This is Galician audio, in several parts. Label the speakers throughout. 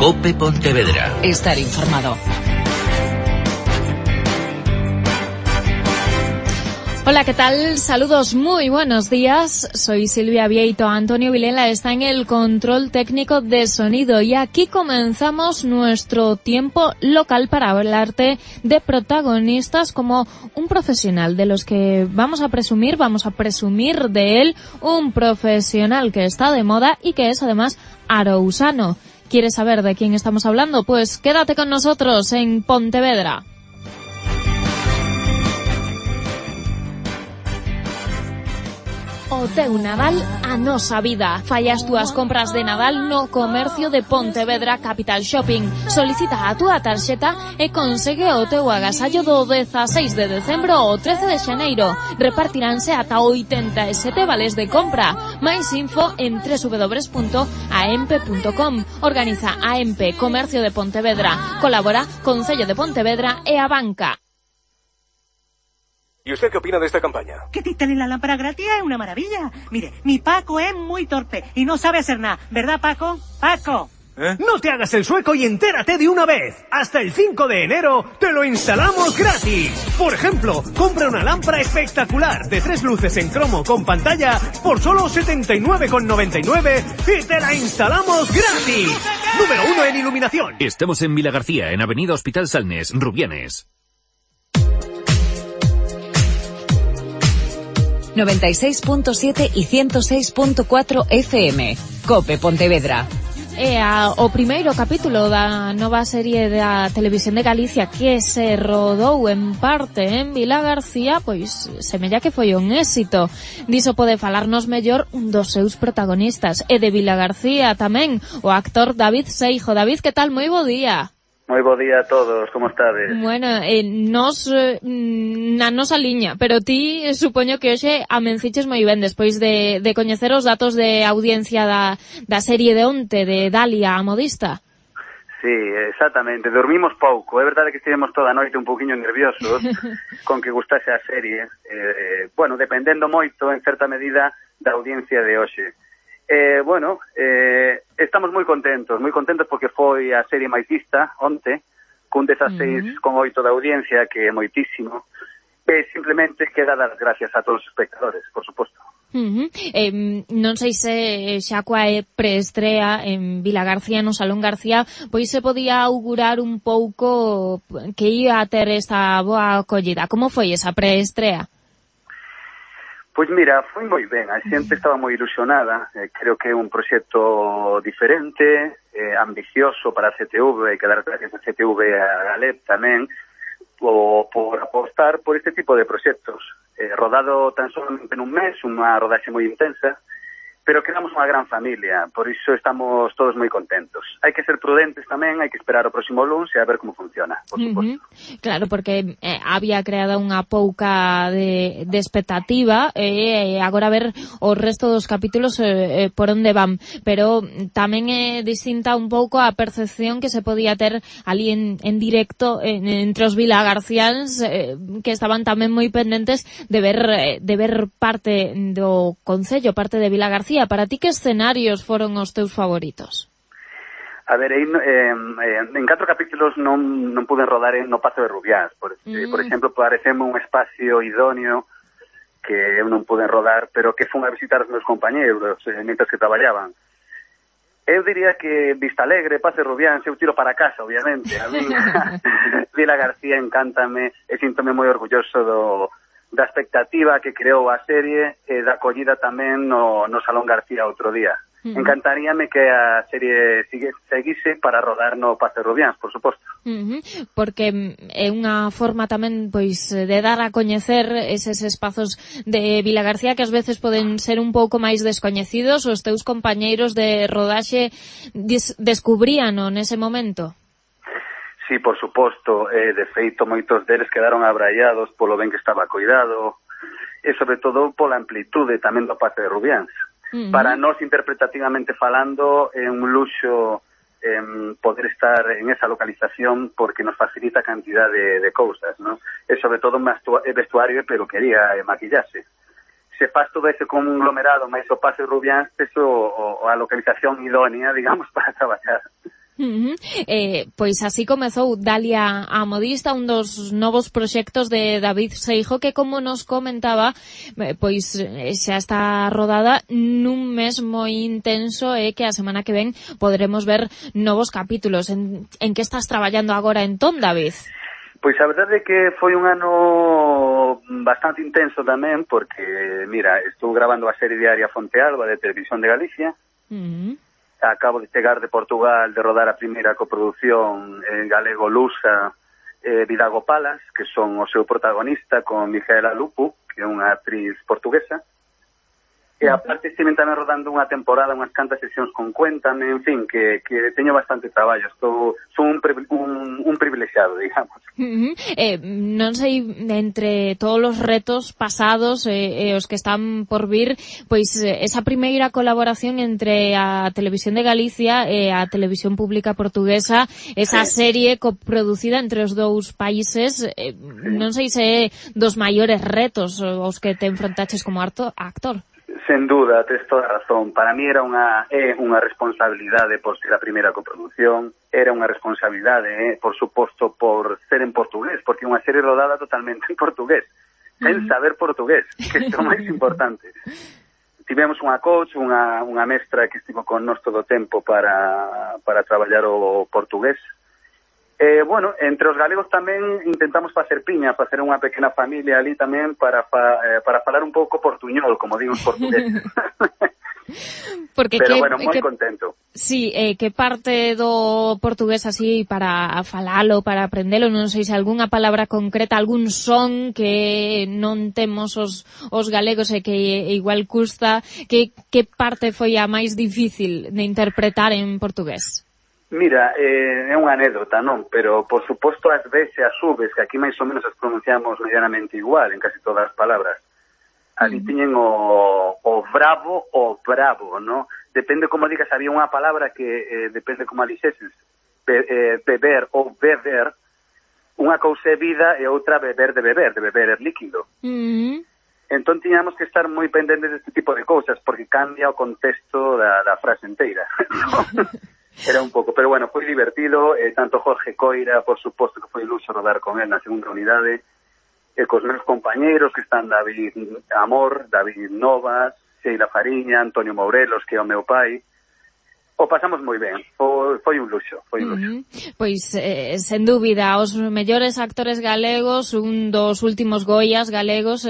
Speaker 1: COPE Pontevedra.
Speaker 2: Estar informado. Hola, ¿qué tal? Saludos, muy buenos días. Soy Silvia Vieito. Antonio Vilela está en el control técnico de sonido y aquí comenzamos nuestro tiempo local para hablarte de protagonistas como un profesional de los que vamos a presumir de él, un profesional que está de moda y que es además arousano. ¿Quieres saber de quién estamos hablando? Pues quédate con nosotros en Pontevedra. O teu Nadal a nosa vida. Fai as túas compras de Nadal no comercio de Pontevedra Capital Shopping. Solicita a túa tarxeta e consegue o teu agasallo do 16 de decembro ao 13 de xaneiro. Repartiránse ata 87 vales de compra. Mais info en www.aempe.com. Organiza AEMPE Comercio de Pontevedra. Colabora Concello de Pontevedra e a Banca.
Speaker 3: ¿Y usted qué opina de esta campaña?
Speaker 4: Que te instalen la lámpara gratis es una maravilla. Mire, mi Paco es muy torpe y no sabe hacer nada. ¿Verdad, Paco? ¡Paco!
Speaker 5: No te hagas el sueco y entérate de una vez. Hasta el 5 de enero te lo instalamos gratis. Por ejemplo, compra una lámpara espectacular de 3 luces en cromo con pantalla por solo 79,99 y te la instalamos gratis. Número 1 en iluminación.
Speaker 6: Estamos en Vilagarcía, en Avenida Hospital Salnes, Rubianes.
Speaker 2: 96.7 y 106.4 FM. COPE Pontevedra. O primeiro capítulo da nova serie da Televisión de Galicia que se rodou en parte en Vilagarcía, pois semella que foi un éxito. Diso pode falarnos mellor un dos seus protagonistas, e de Vilagarcía tamén, o actor David Seijo. David, que tal? Moi bo día.
Speaker 7: Moi bo día a todos, como estades?
Speaker 2: Bueno, nos na nosa liña, pero ti supoño que hoxe amenciches moi ben despois de coñecer os datos de audiencia da serie de onte de Dalia, a modista.
Speaker 7: Sí, exactamente, dormimos pouco, é verdade que estivemos toda a noite un poquinho nerviosos con que gustase a serie, bueno, dependendo moito en certa medida da audiencia de hoxe. Estamos moi contentos porque foi a serie máis vista onte, cun 16,8 da audiencia, que é moitísimo, e simplemente queda dar gracias a todos os espectadores, por suposto.
Speaker 2: Non sei se xa coa preestrea en Vilagarcía, no Salón García, pois se podía augurar un pouco que ia a ter esta boa acollida. Como foi esa preestrea?
Speaker 7: Pois mira, foi moi ben, a xente estaba moi ilusionada, creo que é un proxecto diferente, ambicioso para a CTV, e que dar gracias a CTV e a Galep tamén, por apostar por este tipo de proxectos. Rodado tan solamente nun mes, unha rodaxe moi intensa, pero quedamos unha gran familia, por iso estamos todos moi contentos. Hai que ser prudentes tamén, hai que esperar o próximo luns e a ver como funciona, por suposto.
Speaker 2: Claro, porque había creado unha pouca de expectativa e agora a ver o resto dos capítulos por onde van, pero tamén é distinta un pouco a percepción que se podía ter ali en directo entre os vilagarciáns que estaban tamén moi pendentes de ver parte do concello, parte de Vilagarcía. Para ti, que escenarios foron os teus favoritos?
Speaker 7: A ver, en 4 capítulos non pude rodar no Pazo de Rubiáns. Por exemplo, pareceme un espacio idóneo que eu non pude rodar, pero que fun a visitar os meus compañeros mientras que traballaban. Eu diría que Vista Alegre, Pazo de Rubiáns, eu tiro para casa, obviamente. A mí, Vilagarcía encántame, e síntome moi orgulloso da expectativa que creou a serie e da acollida tamén no Salón García outro día. Encantaríame que a serie seguise para rodar no Pazo de Rubiáns, por suposto.
Speaker 2: Porque é unha forma tamén pois de dar a coñecer eses espazos de Vilagarcía que ás veces poden ser un pouco máis descoñecidos. Os teus compañeiros de rodaxe descubríano nese momento?
Speaker 7: Sí, por suposto, de feito moitos deles quedaron abraiados polo ben que estaba coidado e sobre todo pola amplitude tamén do Pazo de Rubiáns. Para nós, interpretativamente falando, é un luxo poder estar en esa localización porque nos facilita cantidad de cousas, ¿no? E sobre todo vestuario e peluquería e maquillaxe. Se faz todo ese conglomerado máis o Pazo de Rubiáns, eso a localización idónea, digamos, para traballar.
Speaker 2: Pois así comezou Dalia a Modista, un dos novos proxectos de David Seijo, que como nos comentaba, pois xa está rodada nun mes moi intenso e que a semana que ven poderemos ver novos capítulos. En que estás traballando agora entón, David?
Speaker 7: Pois a verdade é que foi un ano bastante intenso tamén, porque, mira, estou grabando a serie diaria Fontealba de Televisión de Galicia. Acabo de chegar de Portugal de rodar a primeira coproducción en galego lusa, Vidago Palas, que son o seu protagonista con Micaela Lupu, que é unha actriz portuguesa. E aparte estiven tamén rodando unha temporada, unhas cantas sesións con Cuéntame, en fin, que teño bastante traballo. Son un privilexiado, digamos.
Speaker 2: Non sei, entre todos os retos pasados e os que están por vir, pois esa primeira colaboración entre a Televisión de Galicia e a Televisión Pública Portuguesa, esa serie coproducida entre os dous países, non sei se é dos maiores retos os que te enfrontaches como actor.
Speaker 7: Sen duda, tes toda a razón. Para mí era unha responsabilidade por ser a primeira coproducción, era unha responsabilidade, por suposto, por ser en portugués, porque é unha serie rodada totalmente en portugués, sen saber portugués, que é o máis importante. Tivemos unha coach, unha mestra que estivo con nós todo o tempo para traballar o portugués. Bueno, entre os galegos tamén intentamos facer piña, facer unha pequena familia ali tamén para falar un pouco portuñol, como digo os portugueses. Pero bueno, moi contento.
Speaker 2: Sí, que parte do portugués así para falalo, para aprendelo, non sei se algunha palabra concreta, algún son que non temos os galegos e que igual custa, que parte foi a máis difícil de interpretar en portugués?
Speaker 7: Mira, é unha anécdota, non? Pero, por suposto, as veces e as subes, que aquí máis ou menos as pronunciamos medianamente igual en casi todas as palabras. Ali tiñen o bravo, non? Depende como digas, había unha palabra que depende como a dixeses. Beber ou beber, unha cousa é vida e outra beber é líquido. Entón tiñamos que estar moi pendentes deste tipo de cousas, porque cambia o contexto da frase inteira. Era un pouco, pero bueno, foi divertido, tanto Jorge Coira, por suposto que foi luxo rodar con él na segunda unidade, e cos meus compañeiros que están David Amor, David Novas, Sheila Fariña, Antonio Mourelos, que é o meu pai. O pasamos moi ben, foi un luxo,
Speaker 2: Pois, sen dúbida, os mellores actores galegos, un dos últimos Goias galegos,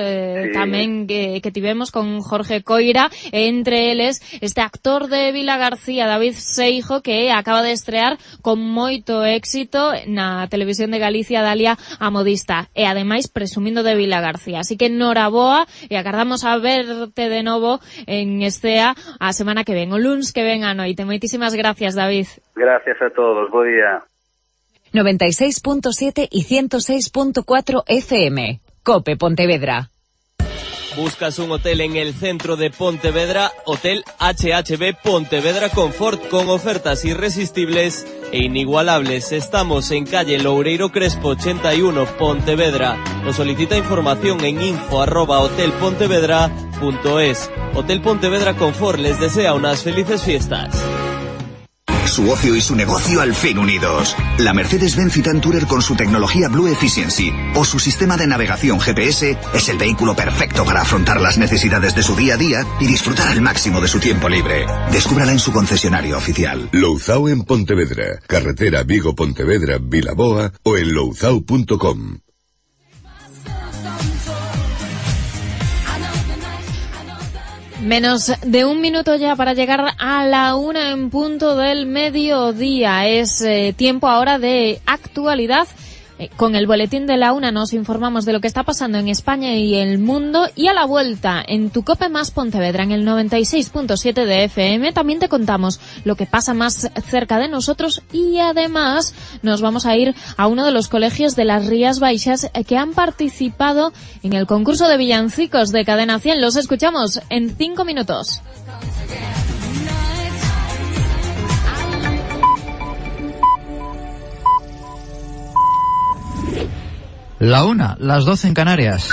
Speaker 2: tamén que tivemos con Jorge Coira, e entre eles este actor de Vilagarcía, David Seijo, que acaba de estrear con moito éxito na Televisión de Galicia, Dalia a Modista, e ademais presumindo de Vilagarcía. Así que noraboa, e agardamos a verte de novo en Escea a semana que ven, o luns que ven a noite. Moitísimas gracias, David.
Speaker 7: Gracias a todos, bo día.
Speaker 1: 96.7 y 106.4 FM. COPE Pontevedra.
Speaker 3: ¿Buscas un hotel en el centro de Pontevedra? Hotel HHB Pontevedra Confort, con ofertas irresistibles e inigualables. Estamos en calle Loureiro Crespo 81, Pontevedra. Nos solicita información en info@hotelpontevedra.es. Hotel Pontevedra Confort les desea unas felices fiestas.
Speaker 8: Su ocio y su negocio al fin unidos. La Mercedes-Benz Citan Tourer con su tecnología Blue Efficiency o su sistema de navegación GPS es el vehículo perfecto para afrontar las necesidades de su día a día y disfrutar al máximo de su tiempo libre. Descúbrala en su concesionario oficial.
Speaker 9: Louzao en Pontevedra, carretera Vigo-Pontevedra, Vilaboa o en louzao.com.
Speaker 2: Menos de un minuto ya para llegar a la 1 en punto del mediodía. Es tiempo ahora de actualidad. Con el boletín de la 1 nos informamos de lo que está pasando en España y el mundo, y a la vuelta en tu COPE más Pontevedra en el 96.7 de FM también te contamos lo que pasa más cerca de nosotros, y además nos vamos a ir a uno de los colegios de las Rías Baixas que han participado en el concurso de villancicos de Cadena 100. Los escuchamos en 5 minutos.
Speaker 10: La 1, las 12 en Canarias.